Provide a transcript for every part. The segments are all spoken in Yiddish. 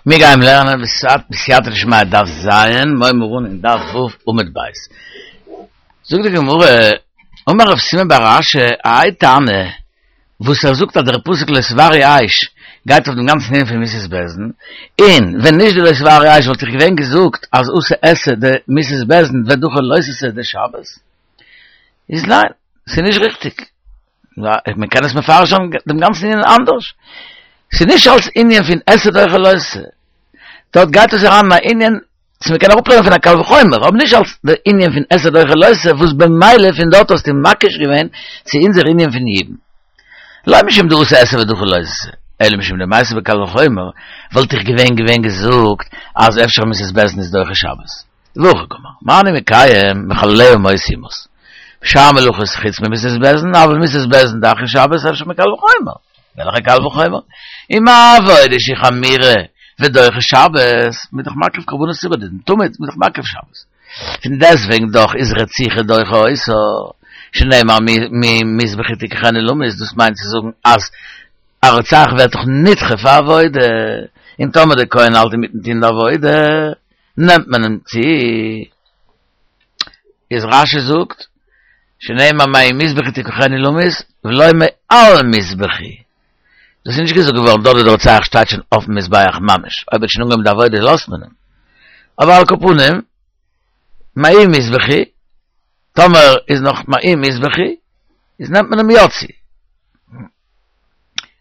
מיר גייען לערנען בסייעתא דשמיא דף ז, מיר הייבן אן אין דף ו' עמוד ב'. זאגט די גמרא, אמר רב סימון בר אשי, האי תנא, וואס ער זאגט אז דער פסוק לא תבערו אש גייט אויף דעם גאנצן ענין פון מיתת בית דין, און ווען נישט די לא תבערו אש וואלט איך געווען געזאגט אז אתי עשה דמיתת בית דין ודחי לא תעשה דשבת. איז ניין, ס'איז נישט ריכטיג. מען קען עס מפרש זיין דעם גאנצן ענין אנדערש. ס'איז נישט אלס ענין פון עשה דוחה לא תעשה. דארט גייט עס אריין אין א ענין צו מען קען אראפלערנען פון א קל וחומר, אבער נישט אלס די ענין פון עשה דוחה לא תעשה וואס במילא פון דארט האסטו מקיש געווען צו אונזער ענין פון יבום. לא משום דאתי עשה ודחי לא תעשה, אלא משום דמייתי בקל וחומר, וואלט איך געווען געווען געזאגט אז אפשר מיתת בית דין איז דוחה שבת. והכי קאמר, מה אני מקיים מחלליה מות יומת. בשאר מלאכות חוץ ממיתת בית דין, אבל מיתת בית דין דחיא שבת אפשר מקל וחומר. וועלכע קל וחומר? ומה עבודה שהיא חמורה ודוחה שבת, מ'איז דאך מקריב קרבנות ציבור דעם תמיד, מ'איז דאך מקריב שבת. פון דעסטוועגן דאך איז רציחה דוחה אותה, שנאמר ממזבחי תקחנו למות, דאס מיינט צו זאגן אז א רוצח ווערט דאך נדחה פאר עבודה, און טאמער דער כהן האלט אינמיטן טון די עבודה, נעמט מען אים צו, איז רש"י זאגט, שנאמר ממזבחי תקחנו למות, ולא מעל מזבחי. דאס איז נישט געזאגט געווארן דארט ווי דער רוצח שטייט שוין אויפן מזבח ממש, אויב ער האט שוין אנגעהויבן די עבודה לאזט מען אים. אבער על כל פנים, ממזבחי, טאמער איז נאך ממזבחי, איז נעמט מען אים יא צו.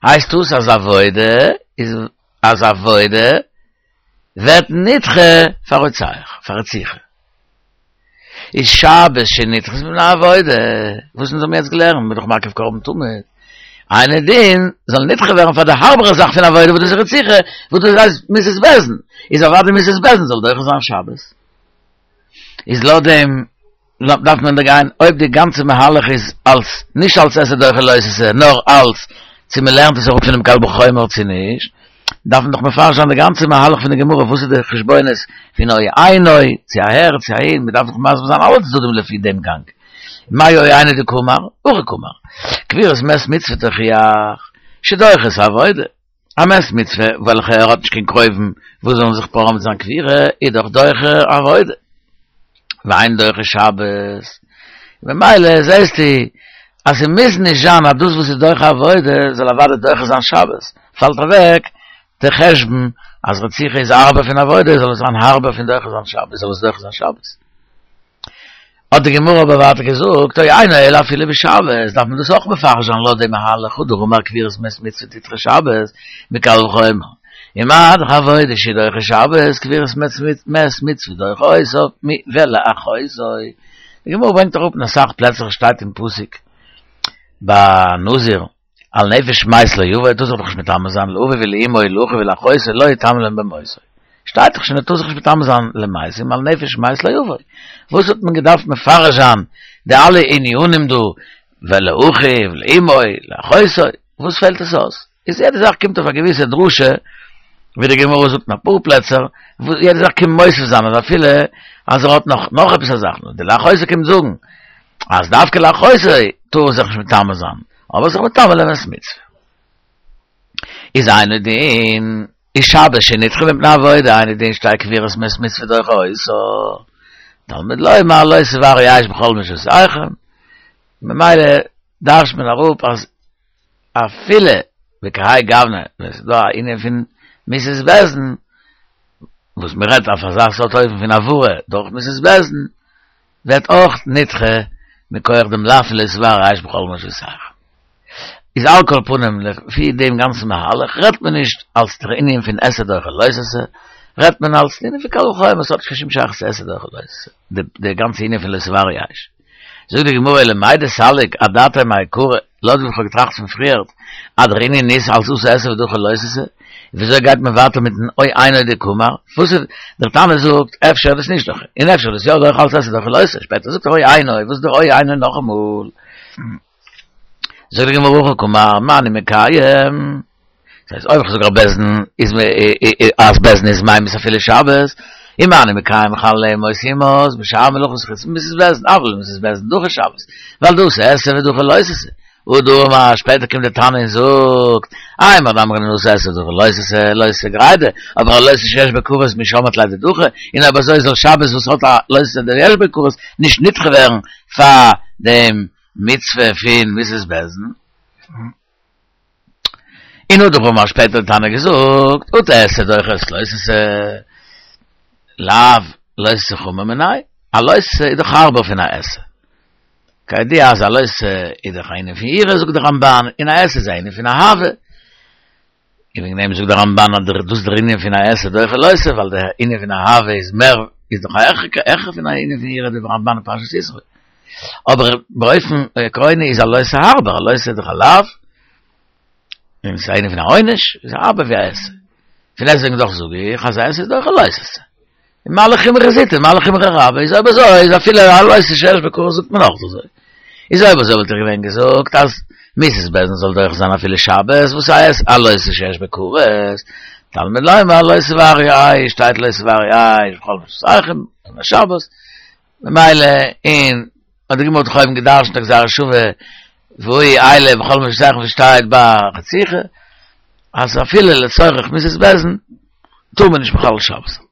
הייסט דאס אז עבודה איז אז עבודה ווערט נדחה פאר רוצח, פאר רציחה. איז שבת שנדחית מפני עבודה, וואס אונז האבן יעצט געלערנט, מ'איז דאך מקריב קרבן תמיד, אינו דין זאל נדחה ווערן פאר די הארבערע זאך פון עבודה וואס דאס איז רציחה, וואס דאס הייסט מיתת בית דין, איז אוודאי מיתת בית דין זאל דוחה זיין שבת. איז לויט דעם דארף מען דערגיין אויב די גאנצע מהלך איז אלס נישט אלס עשה דוחה לא תעשה נאר אלס צו מען לערנט עס אראפ פונעם קל וחומר צו נישט, דארף מען דאך מפרש זיין די גאנצע מהלך פון די גמרא וואס איז די חשבונות פון או אינו צו אהער צו אהין, מען דארף דאך מסביר זיין אלע צדדים לפי דעם גאנג. מאי או אינו דקאמר? הכי קאמר. קבורת מת מצוה תוכיח שדוחה את העבודה. א מת מצוה וועלכע ער האט נישט קיין קרובים וואס זאלן זיך פארען מיט זיין קבירה איז דאך דוחה עבודה ואין דוחה שבת, ממילא זעסטו אז ס'מוז נישט זיין אז דאס וואס איז דוחה עבודה זאל אוודאי דוחה זיין שבת, פאלט אוועק די חשבון אז רציחה איז הארבער פון עבודה זאל עס זיין הארבער פון דוחה זיין שבת זאל עס דוחה זיין שבת. האט די גמרא אבער ווייטער געזאגט, או אינו אלא אפילו בשבת, דארף מען דאס אויך מפרש זיין לויט דעם מהלך, הא דאמר קבורת מת מצוה תדחה שבת, מקל וחומר, ומה דאך עבודה שהיא דוחה שבת, קבורת מת מצוה דוחה אותה ולאחותו. די גמרא ברענגט אראפ אין אסאך פלעצער שטייט אין פסוק ביי נזיר, על נפש מת לא יבוא, טאר זיך דאך נישט מטמא זיין לאביו ולאמו ולאחיו ולאחותו לא יטמא להם במותו. שטייט דאך שוין ער טאר זיך נישט מטמא זיין למתים על נפש מת לא יבוא. וואס האט מען געדארפט מפרש זיין די אלע ענינים דא ולאחיו ולאמו ולאחותו, וואס פעלט עס אויס? איז יעדע זאך קומט אויף א געוויסע דרשה, ווי די גמרא זאגט אין אפאר פלעצער, יעדע זאך קומט מוסיף זיין אז אפילו אז ער האט נאך נאך עפעס א זאך, נאר די לאחותו קומט זאגן אז דווקא לאחותו טאר ער זיך נישט מטמא זיין, אבער זיך מטמא למת מצוה. איז אינו דין, איז שבת שנדחה מפני עבודה, אינו דין שתהא קבורת מת מצוה דוחה אותה. תלמוד לומר לא תבערו אש בכל מושבותיכם. ממילא דרש'ט מען אראפ אז אפילו בכהאי גוונא ווען ס'איז דא א ענין פון מיתת בית דין, וואס מ'רעדט אויף אזא סארט אופן פון העברה דורך מיתת בית דין, ווערט אויך נדחה מכח דעם לאו פון לא תבערו אש בכל מושבותיכם. איז על כל פנים לפי דעם גאנצן מהלך רעדט מען נישט אלס דער ענין פון עשה דוחה לא תעשה, רעדט מען אלס ענין פון קל וחומר, ס'האט נישט קיין שום שייכות צו עשה דוחה לא תעשה, די גאנצע ענין פון לא תבערו אש. זאגט די גמרא אלא למאי דסליק אדעתיה מעיקרא, לויט ווי כ'האב געטראכט פון פריערט אז דער ענין איז אלס אתי עשה ודחי לא תעשה, וויאזוי גייט מען ווייטער מיטן או אינו דקאמר? וואס איז, דער תנא זאגט אפשר איז דאס נישט דוחה, און אפשר איז דאס יא דוחה אלס עשה דוחה לא תעשה, שפעטער זאגט ער או אינו, וואס איז דער או אינו נאכאמאל? זאגט די גמרא הכי קאמר, מה אני מקיים? דאס הייסט אויב איך זאג אז בית דין איז אז בית דין איז ממית אפילו שבת, און מה אני מקיים מחלליה מות יומת, בשאר מלאכות חוץ ממיתת בית דין, אבל מיתת בית דין דחי שבת, ווייל דאתי עשה ודחי לא תעשה. הא דאמר, שפעטער קומט די תנא און זאגט, האי מאן דאמרן עשה דוחה לא תעשה, לא תעשה גרידא, אבער א לא תעשה שיש בו כרת מי שמעת ליה דדחי, און אויב אזוי זאל שבת וואס האט א לא תעשה דיש בו כרת נישט נדחה ווערן פאר דעם מצוה פון מיתת בית דין. און הא דאמר שפעטער האט די תנא געזאגט, אטו עשה דוחה את לא תעשה, לאו לא תעשה חמור מיניה, א לא תעשה איז דאך הארבער פון א עשה. כידוע אז א לא תעשה איז דאך א ענין פון יראה זאגט דער רמבן, און א עשה איז א ענין פון אהבה. און וועגן דעם זאגט דער רמבן אז דאס איז דער ענין פון א עשה דוחה לא תעשה, ווייל דער ענין פון אהבה איז מער, איז דאך העכער פון א ענין פון יראה דער רמבן אין פרשת יתרו. אבער באופן עקרוני איז א לא תעשה הארבער, א לא תעשה איז דאך א לאו, און ס'איז א ענין פון א עונש, איז הארבער ווי א עשה. פון דעסטוועגן דאך זאג איך אז א עשה איז דוחה לא תעשה. און מה לחומרא זוטא מה לחומרא רבה איז אויב אזוי איז אפילו א לא תעשה שיש בו כרת זאגט מען אויך אזוי. איז אויב אזוי וואלט איך געווען געזאגט אז מיתת בית דין זאל דוחה זיין אפילו שבת וואס הייסט א לא תעשה שיש בו כרת, תלמוד לומר לא תבערו אש שטייט לא תבערו אש בכל מושבותיכם און שבת ממילא און האט די גמרא דאך אויבן געדרשנט א גזירה שווה והוא אלה בכל מושבותיכם וואס שטייט ביי רציחה אז אפילו לצורך מיתת בית דין טאר מען נישט מחלל שבת זיין.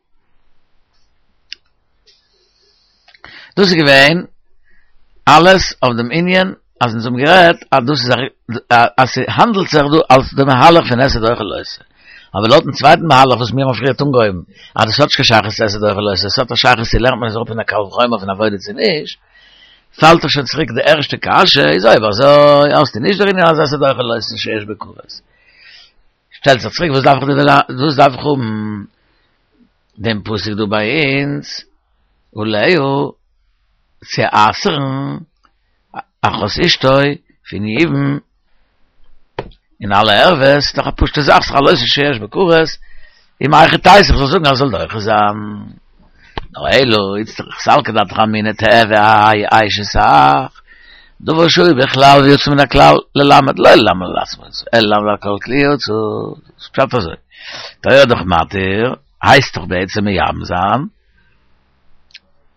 דאס איז געווען אלעס אויף דעם ענין אז אונז האבן גערעדט אז דאס איז אז ס'האנדלט זיך דא אלס די מהלך פון עשה דוחה לא תעשה. אבער לויטן צווייטן מהלך וואס מיר האבן פריערט אנגעהויבן אז דאס האט נישט קיין שייכות צו עשה דוחה לא תעשה, עס האט א שייכות צו לערנט מען עס אראפ פון א קל וחומר פון עבודה צו נישט, פאלט דאך שוין צוריק די ערשטע קשיא, איז אויב אזוי האסטו נישט דער ענין אז עשה דוחה לא תעשה שיש בו כרת. שטעלט זיך צוריק וואס דארף איך וואס דארף איך האבן דעם פסוק דא ביי אונז עליה צו אסר'ן אחות אשתו פון יבום און אלע ערוות, דאך א פשוטע זאך, ס'איז דאך א לא תעשה שיש בו כרת, און מהיכי תיתי איך זאל זאגן אז ס'זאל דוחה זיין. נאר אלא איצטריך סלקא דעתך אמינא תיהוי האי אשת אח, דבר שהיה בכלל ויצא מן הכלל ללמד לא ללמד על עצמו יצא, אלא ללמד על כל כלי יצא, פשט אזוי, תורה דאך מתיר, הייסט דאך בעצם מייבם זיין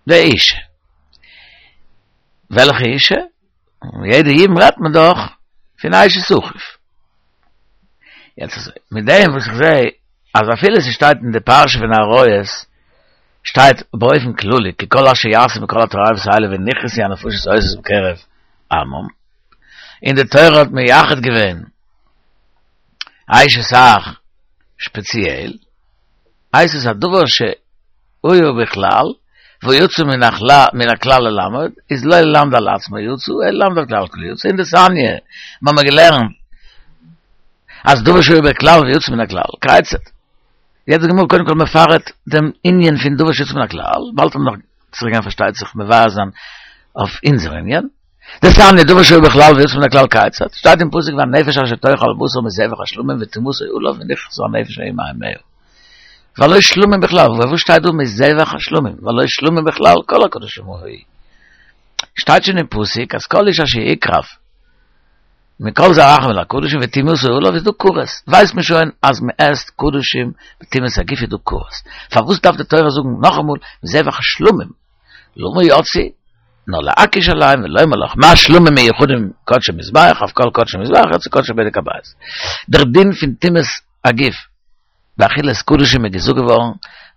די אישה. וועלכע אישה? יעדע יבום רעדט מען דאך פון אשת אחיו. יעצט אזוי, מיט דעם וואס איך זעה אז אפילו ס'שטייט אין די פרשה פון עריות שטייט באופן כללי כי כל אשר יעשו מכל התועבות האלה ונכרתו הנפשות העושות בקרב עמם, און די תורה האט מייחד געווען אשת אח שפעציעל, הייסט עס א דבר שהיה בכלל, ויצא מן הכלל ללמד, איז לא ללמד על עצמו יצא, אלא ללמד על כלל כלי יצא, אין דתניא, מיר האבן געלערנט אז דבר שהיה בכלל ויצא מן הכלל, כיצד. יעצט די גמרא קודם כל מפרט דעם ענין פון דבר שיצא מן הכלל, באלד וועט מען נאך צוריק גיין פארשטייט זיך מבאר זיין אויף אונזער ענין. דתניא דבר שהיה בכלל ויצא מן הכלל כיצד, שטייט אין פסוק והנפש אשר תאכל בשר מזבח השלמים וטומאתו עליו ונכרתה הנפש ההיא מעמיה. והלא שלמים בכלל, וואס שטייט דא מזבח השלמים? והלא שלמים בכלל כל הקדשים היו. שטייט שוין אין פסוק אז כל איש אשר יקרב מכל זרעכם אל הקדשים וטומאתו עליו איז דא כרת, ווייסט מען שוין אז מען עסט קדשים בטומאת הגוף איז דא כרת, פארוואס דארף די תורה זאגן נאכאמאל מזבח השלמים? למה יצאו? נאר להקיש עליהם ולומר לך מה שלמים מיוחדים קדשי מזבח אף כל קדשי מזבח יצאו קדשי בדק הבית. דער דין פון טומאת הגוף באכילת קדשים איז געזאגט געווארן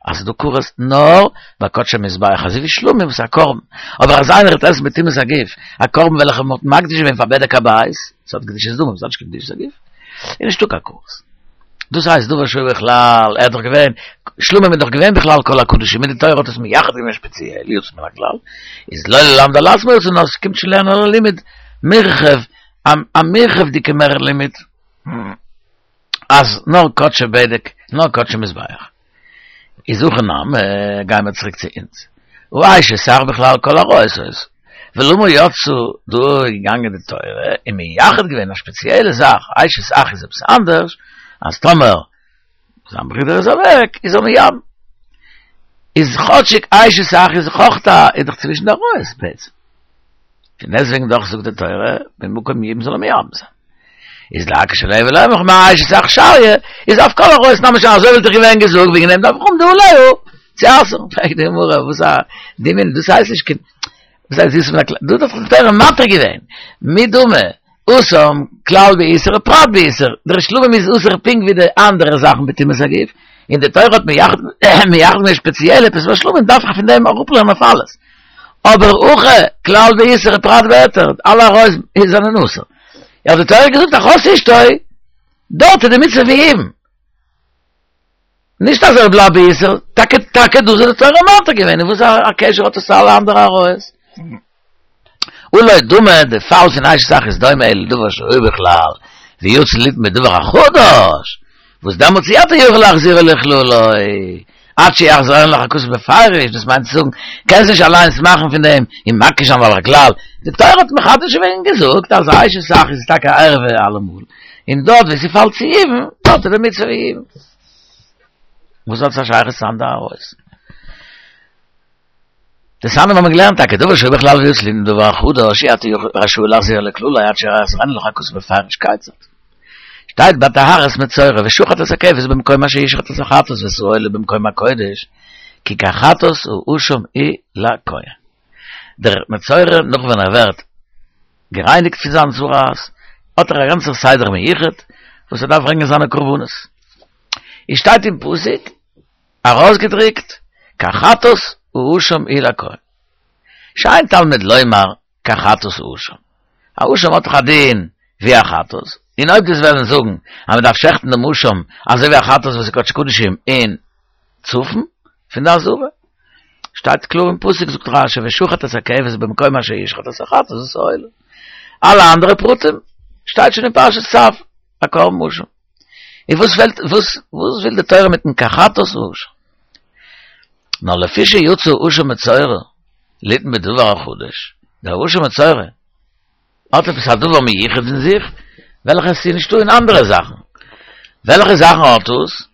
אז ס'איז דא כרת נאר ביי קדשי מזבח אזוי ווי שלמים וואס איז א קרבן, אבער אז איינער וועט עסן בטומאת הגוף א קרבן וועלכע מ'האט מקדיש געווען פאר בדק הבית, ס'האט קדושת דמים, ס'האט נישט קיין קדושת הגוף, איז נישטא קיין כרת. דאס הייסט דבר שהיה בכלל, ער האט דאך געווען, שלמים איז דאך געווען בכלל כל הקדשים, און די תורה האט עס מייחד געווען שפעציעל, יוצא מן הכלל, איז לא ללמד על עצמו יצא נאר ס'קומט שוין לערנען א לימוד מורחב, א מורחב'דיגע מער לימוד. אז נאר קדשי בדק, נאר קדשי מזבח. איז הכא נמי, גייען מיר צוריק צו אונז. הא אשת אח בכלל כל עריות היתה. ולמה יצאו, דא איז געגאנגען די תורה און מייחד געווען א שפעציעלע זאך, אשת אח איז עפעס אנדערש, אז טאמער זיין ברודער איז אוועק, איז ער מייבם. איז כאטשיג אשת אח איז אויך א, איז דאך צווישן די עריות בעצם. פון דעסטוועגן דאך זאגט די תורה, במקום יבום זאל ער מייבם זיין. איז להקיש עליה ולומר לך מה אשת אח שריא, איז אף כל עריות נמי שרי, אזוי וואלט איך געווען געזאגט, וועגן דעם דארף איך האבן די עליה צו אסר'ן. פרעגט די גמרא, וואס א דמיון, דאס הייסט נישט קיין, וואס הייסט יוצא מן הכלל, דא האט דאך די תורה מתיר געווען, מי דמי. התם כלל באיסור ופרט באיסור, דער שלמים איז אסור פונקט ווי די אנדערע זאכן בטומאת הגוף, און די תורה האט מייחד געווען שפעציעל עפעס פאר שלמים דארף איך פון דעם אראפלערנען אויף אלעס. אבער הכא כלל באיסור ופרט בהיתר, אלע עריות זענען אסור. האט די תורה געזאגט אחות אשתו, דארט איז די מצוה פון יבום. נישט אז ער בלייבט באיסור, טאקע טאקע דאס האט די תורה מתיר געווען, און וואס א קשר האט עס צו אלע אנדערע עריות? הא לא דמי, די פאל פון אשת אח איז דומה אלא לדבר שהיה בכלל, ויצא ליתן בדבר החדש, וואס דעמאלטס אי אתה יכול להחזירו לכללו, עד שיחזירנו לך הכתוב בפירוש, דאס מיינט צו זאגן, קענסט נישט אליינס מאכן פון דעם און מקיש זיין ווייל הכלל, די תורה האט מחדש געווען און געזאגט אז אשת אח איז טאקע א ערווה אלעמאל, און דארט וואו ס'פאלט צו יבום, דארט איז די מצוה פון יבום. וואס האט עס א שייכות צו אנדערע עריות? דתניא האבן מיר געלערנט טאקע דבר שהיה בכלל ויצא ליתן בדבר החדש אי אתה רשאי להחזירו לכללו עד שיחזירנו לך הכתוב בפירוש כיצד שטייט ביי טהרת מצורע ושחט את הכבש במקום אשר ישחט את החטאת ואת העולה במקום הקודש כי כחטאת האשם הוא לכהן דער מצורע נאך ווען ער ווערט גערייניגט פון זיין צרעת האט ער א גאנצער סדר מיוחד וואס ער דארף ברענגען זיינע קרבנות איז שטייט אין פסוק ארויסגעדריקט, כחטאת האשם הוא לכהן. שאין תלמוד לומר כחטאת האשם. א אשם האט דאך א דין ווי א חטאת, און אויב דו'סט וועלן זאגן אז מען דארף שעכטן דעם אשם אזוי ווי א חטאת וואס איז קדשי קדשים אין צפון פון די עזרה, שטייט קלאר אין פסוק זאגט רשי ושחט את הכבש במקום אשר ישחט את החטאת ואת העולה. אלע אנדערע פרטים שטייט שוין אין פרשת צו, א קרבן אשם. און וואס פעלט וואס וואס וויל די תורה מיטן כחטאת האשם? נאר לפי שיצא אשם מצורע ליתן בדבר החדש, דער אשם מצורע האט עפעס א דבר מיוחד אין זיך, וועלכע עס איז נישטא אין אנדערע זאכן. וועלכע זאכן האט עס?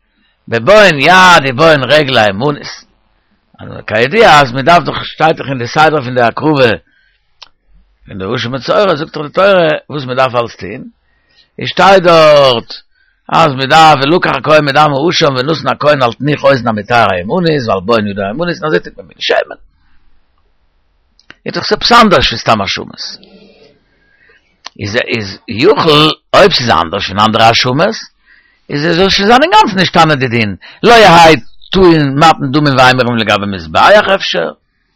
בבוהן יד ובוהן רגל הימנית. כידוע אז מען דארף דאך, שטייט דאך אין די סדר פון די הקרבה פון די אשם מצורע, זאגט דאך די תורה וואס מען דארף אלס טון, עס שטייט דארט אז מען דארף ולקח הכהן מדם האשם ונתן הכהן על תנוך אוזן המטהר הימנית ועל בוהן ידו הימנית און אזוי טוט מען מיט שמן. איז דאך עפעס אנדערש פון סתם אשמות. איז איז יכול אויב ס'איז אנדערש פון אנדערע אשמות איז עס זאל שוין זיין אינגאנצן נשתנה די דין לא יהא טעון מתן דמים ואימורים לגבי מזבח אפשר.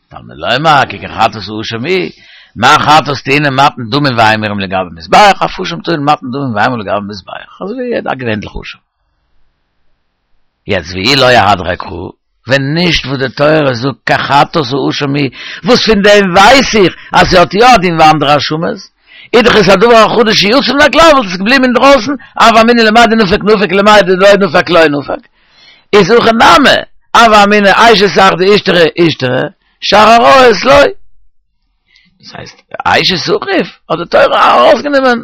תלמוד לומר כי כחטאת האשם הוא, מה חטאת טעונה מתן דמים ואימורים לגבי מזבח, אף אשם טעון מתן דמים ואימורים לגבי מזבח, אזוי ווי יעדע א געווענליכע אשם. יעצט ואי לא אהדריה קרא, ווען נישט וואס די תורה זאגט כחטאת האשם הוא, וואס פון דעם ווייס איך אז ס'האט יא א דין ווי אנדערע אשמות, איז דאך עס א דבר החדש שיצא מן הכלל וואלט עס געבליבן אינדרויסן, הוה אמינא למאי דנפק נפיק למאי דלא נפק לא נפק. איז הכא נמי, הוה אמינא אשת אח דאישתרי אישתרי, שאר עריות לא. דאס הייסט, אשת אחיו האט די תורה ארויסגענומען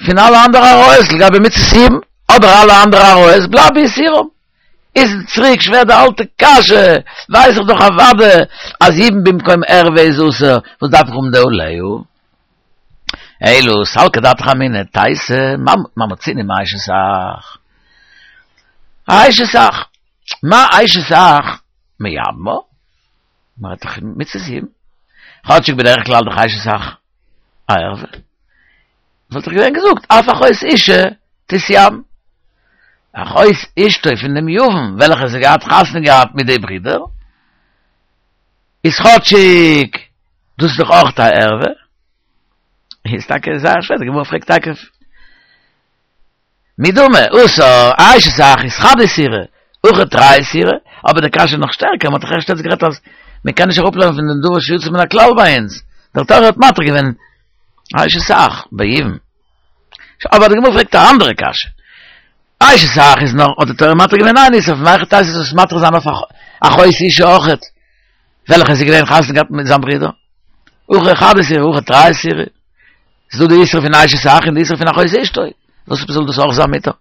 פון אלע אנדערע עריות לגבי מצות יבום, אבער אלע אנדערע עריות בלייבט באיסורם. איז צוריק שווער די אלטע קשיא, ווייס איך דאך אוודאי אז יבום במקום ערווה איז אסור, וואס דארף איך האבן די עליה? אלא סלקא דעתך אמינא, תיתי, מה מצינו מאשת אח? אשת אח, מה אשת אח מייבמה? מ'רעדט דאך מצות יבום. כאטשיג בדרך כלל דאך אשת אח א ערווה. וואלט איך געווען געזאגט אף אחות אשה תתייבם. אחות אשתו פון דעם יבם וועלכע זי געהאט חתונה געהאט מיט די ברידער, איז כאטשיג דאס איז דאך אויך א ערווה. איז טאקע זייער שווער, די גמרא פרעגט טאקע מי דמי, התם, אשת אח איז חד איסורא, הכא תרי איסורי, אבער די קשיא איז נאך שטערקער, מען האט דאך ערשט יעצט גערעדט אז מען קען נישט אראפלערנען פון דעם דבר שיצא מן הכלל ביי אונז, דער תורה האט מתיר געווען אשת אח ביבום. אבער די גמרא פרעגט א אנדערע קשיא, אשת אח איז נאר האט די תורה מתיר געווען איין איסור, מהיכי תיתי זאל עס מתיר זיין אויף אחות אשה אויכעט, וועלכע איז געווען חתונה געהאט מיט זיין ברודער? הכא חד איסורא, הכא תרי איסורי. ס'איז דא די איסור פון אשת אח און די איסור פון אחות אשתו. וואס זאל דאס אויך זיין מותר?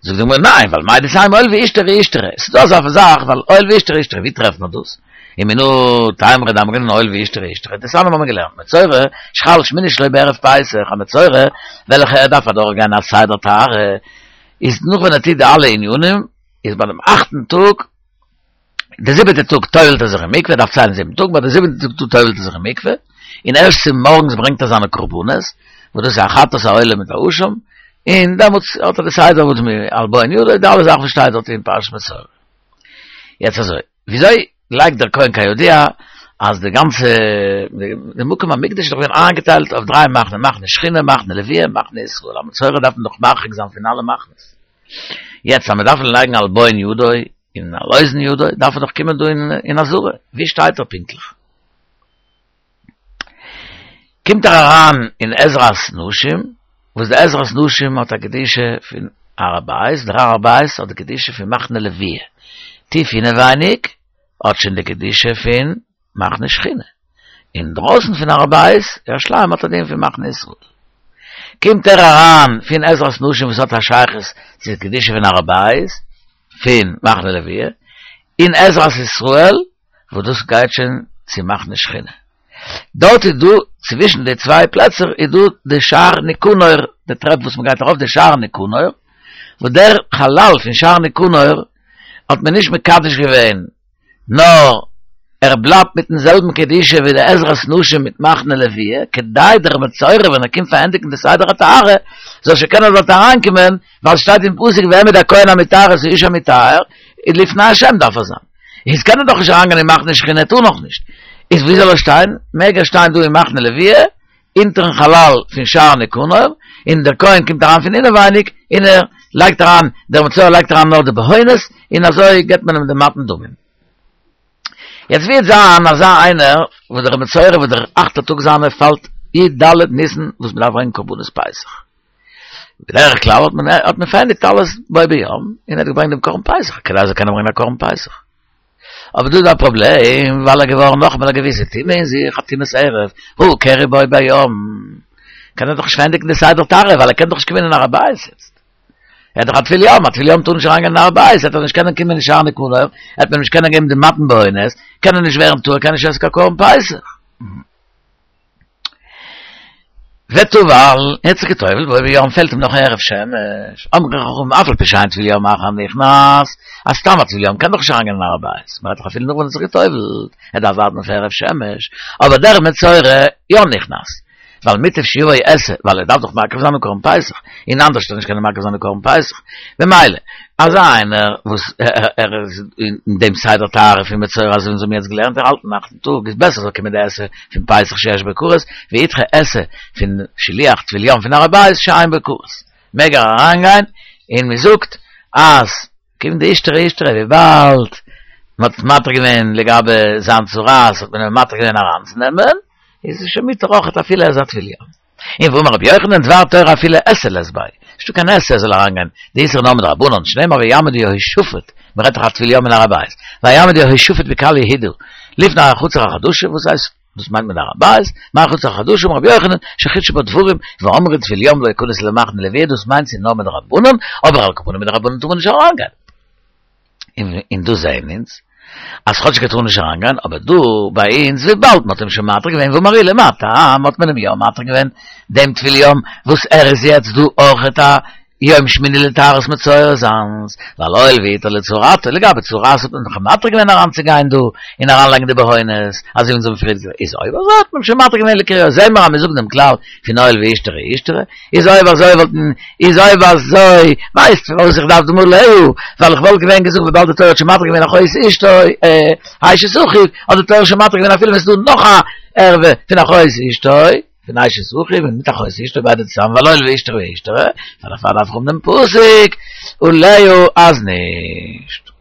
זאגט די גמרא ניין, ווייל מהו דתימא הואיל ואישתרי אישתרי. ס'איז דא אזא זאך ווייל הואיל ואישתרי אישתרי, ווי טרעפט מען דאס? ומנא תימרא דאמרינן הואיל ואישתרי אישתרי, דתניא האבן מיר געלערנט, מצורע שחל שמיני שלו בערב פסח, א מצורע וועלכע ער דארף אדורך גיין א סדר טהרה, איז נאך ווען ער טוט די אלע ענינים, איז ביי דעם אכטן טאג, די זיבעטע טאג טובל'ט ער זיך אין מקווה, ער דארף ציילן זיבן טאג, ביי די זיבעטע טאג טובל'ט ער זיך אין מקווה, און ערשט צו מארגנס ברענגט ער זיינע קרבנות, וואס דאס איז א חטאת העולה מיט א אשם, און דעמאלטס האט ער די סדר וואס מ על בהון ידו, די אלע זאכן וואס שטייט דארט אין פרשת מצורע. יעצט אזוי, וויאזוי לייגט דער כהן כידוע אז די גאנצע די מקום המקדש איז דאך געווען איינגעטיילט אויף דריי מחנה, מחנה שכינה, מחנה לוויה, מחנה ישראל, א מצורע דארף מען דאך מרחיק זיין פון אלע מחנות. יעצט אז מען דארף לייגן על בהון ידו און על אוזן ידו, דארף ער דאך קומען דא אין עזרה, ווי שטייט ער פונקטליך? קומט ער אריין אין עזרת נשים, וואס די עזרת נשים האט א קדושה פון הר הבית, דער הר הבית האט די קדושה פון מחנה לוויה, טיף אינעווייניג האט שוין די קדושה פון מחנה שכינה, אינדרויסן פון הר הבית, ירושלים האט א דין פון מחנה ישראל. קומט ער אריין פון עזרת נשים וואס האט א שייכות צו די קדושה פון הר הבית, פון מחנה לוויה, אין עזרת ישראל, וואס דאס גייט שוין צו מחנה שכינה. דארט איז דא, צווישן די צוויי פלעצער איז דא די שער ניקנור, די טרעפ וואס מען גייט ארויף די שער ניקנור, וואס דער חלל פון שער ניקנור האט מען נישט מקדש געווען, נאר ער בלייבט מיטן זעלבן קדושה ווי די עזרת נשים מיט מחנה לוויה, כדי דער מצורע ווען ער קומט פארענדיגן די סדר הטהרה, זאל שוין קענען דארט אריינקומען, ווייל ס'שטייט אין פסוק והעמיד הכהן המטהר את האיש המטהר, איז לפני השם דארף ער זיין. איז קען ער דאך נישט אריינגיין אין מחנה שכינה טאר נאך נישט. איז ווי זאל ער שטיין? מעג ער שטיין דא אין מחנה לוויה, אונטערן חלל פון שער ניקנור, און דער כהן קומט אריין פון אינעווייניג, און ער לייגט אריין, דער מצורע לייגט אריין נאר די בהונות, און אזוי געבט מען אים די מתן דמים. יעצט ווי וועט זיין אזא איינער וואס דער מצורע וואס דער אכטער טאג זיינער פאלט י ד ניסן וואס מען דארף ברענגען קרבנות פסח. בדרך כלל האט מען האט מען פארענדיגט אלעס בו ביום און ער האט געברענגט דעם קרבן פסח כדי ער זאל קענען ברענגען א קרבן פסח. אבער דא איז דא א פראבלעם ווייל ער איז געווארן נאכאמאל א געוויסע טומאה אין זיך א טומאת ערב הא קרי בו ביום קען ער דאך נישט פארענדיגן די סדר טהרה ווייל ער קען דאך נישט קומען אין הר הבית יעצט. ער איז דאך א טבול יום, א טבול יום טאר נישט אריינגיין אין הר הבית, וועט ער נישט קענען קומען אין שער ניקנור, וועט מען נישט קענען געבן די מתן בהונות, קען ער נישט ווערן טהור, קען נישט עסן קיין קרבן פסח. וטבל, ער האט זיך געטובלט, בו ביום פעלט אים נאך הערב שמש, אמרו חכמים אף על פי שאין טבול יום אחר נכנס, אז סתם א טבול יום קען דאך נישט אריינגיין אין הר הבית, מ'רעדט דאך אפילו נאך ווען ער האט זיך געטובלט, ער דארף ווארטן אויף הערב שמש, אבער דער מצורע יא נכנס, ווייל מוטב שיבוא עשה, ווייל ער דארף דאך מקריב זיין דעם קרבן פסח, און אנדערש וועט ער נישט קענען מקריב זיין דעם קרבן פסח, במילא, אזא איינער וואס ער איז אין דעם סדר טהרה פון מצורע אזוי ווי אונז האבן יעצט געלערנט, ער האלט אין אכטן טאג, איז בעסער זאל קומען די עשה פון פסח שיש בו כרת, וידחה עשה פון שילוח טבול יום פון הר הבית שאין בו כרת. מעג ער אריינגיין, און מען זאגט אז כיון דאישתרי אישתרי וויבאלד מען האט מתיר געווען לגבי זיין צרעת האט מען אים מתיר געווען אריינצונעמען, איז עס שוין מותר אויכעט אפילו ער איז א טבול יום. און ואמר רבי יוחנן דבר תורה אפילו עשה לית ביה, נישטא קיין עשה ער זאל אריינגיין, די איסור נאר מדרבנן, שנאמר ויעמוד יהושפט, מען רעדט דאך א טבול יום אין הר הבית, ויעמוד יהושפט בקהל יהודה לפני החצר החדשה, וואס הייסט דאס מיינט מען הר הבית, מה חצר החדשה אמר רבי יוחנן, שחידשו בה דברים, ואמרו טבול יום לא יכנס למחנה לוויה, דאס מיינט ס'איז נאר מדרבנן, אבער על כל פנים מדרבנן טאר מען נישט אריינגיין. און דא זעהן אונז אז כאטשיג ער טאר נישט אריינגיין, אבער דא ביי אונז וויבאלד מ'האט אים שוין מתיר געווען ואמר עולא מה טעם האט מען אים יא מתיר געווען דעם טבול יום וואס ער איז יעצט דא אויכעט א יום שמיני לטהרת מצורע זיינס, ווייל הואיל והותר לצרעתו, לגבי צרעת האט מען דאך מתיר געווען אריינצוגיין דא און אריינלייגן די בהונות, אזוי ווי אונז האבן פריער געזאגט, איז אויב אזוי האט מען שוין מתיר געווען לקריו, זעהן מיר אז מיר זאגן דעם כלל פון הואיל ואישתרי אישתרי, איז אויב אזוי וואלטן, איז אויב אזוי, ווייסט פארוואס איך דארף דעם עליה, ווייל איך וואלט געווען געזאגט וויבאלד די תורה האט שוין מתיר געווען אחות אשתו, אשת אחיו, האט די תורה שוין מתיר געווען אפילו ווען ס'איז דא נאך א ערווה פון אחות אשתו. פון אשת אחיו און מיט אחות אשתו ביידע צוזאמען ווייל הואיל ואישתרי אישתרי, פאר דערפאר דארף איך האבן דעם פסוק עליה אז נישט.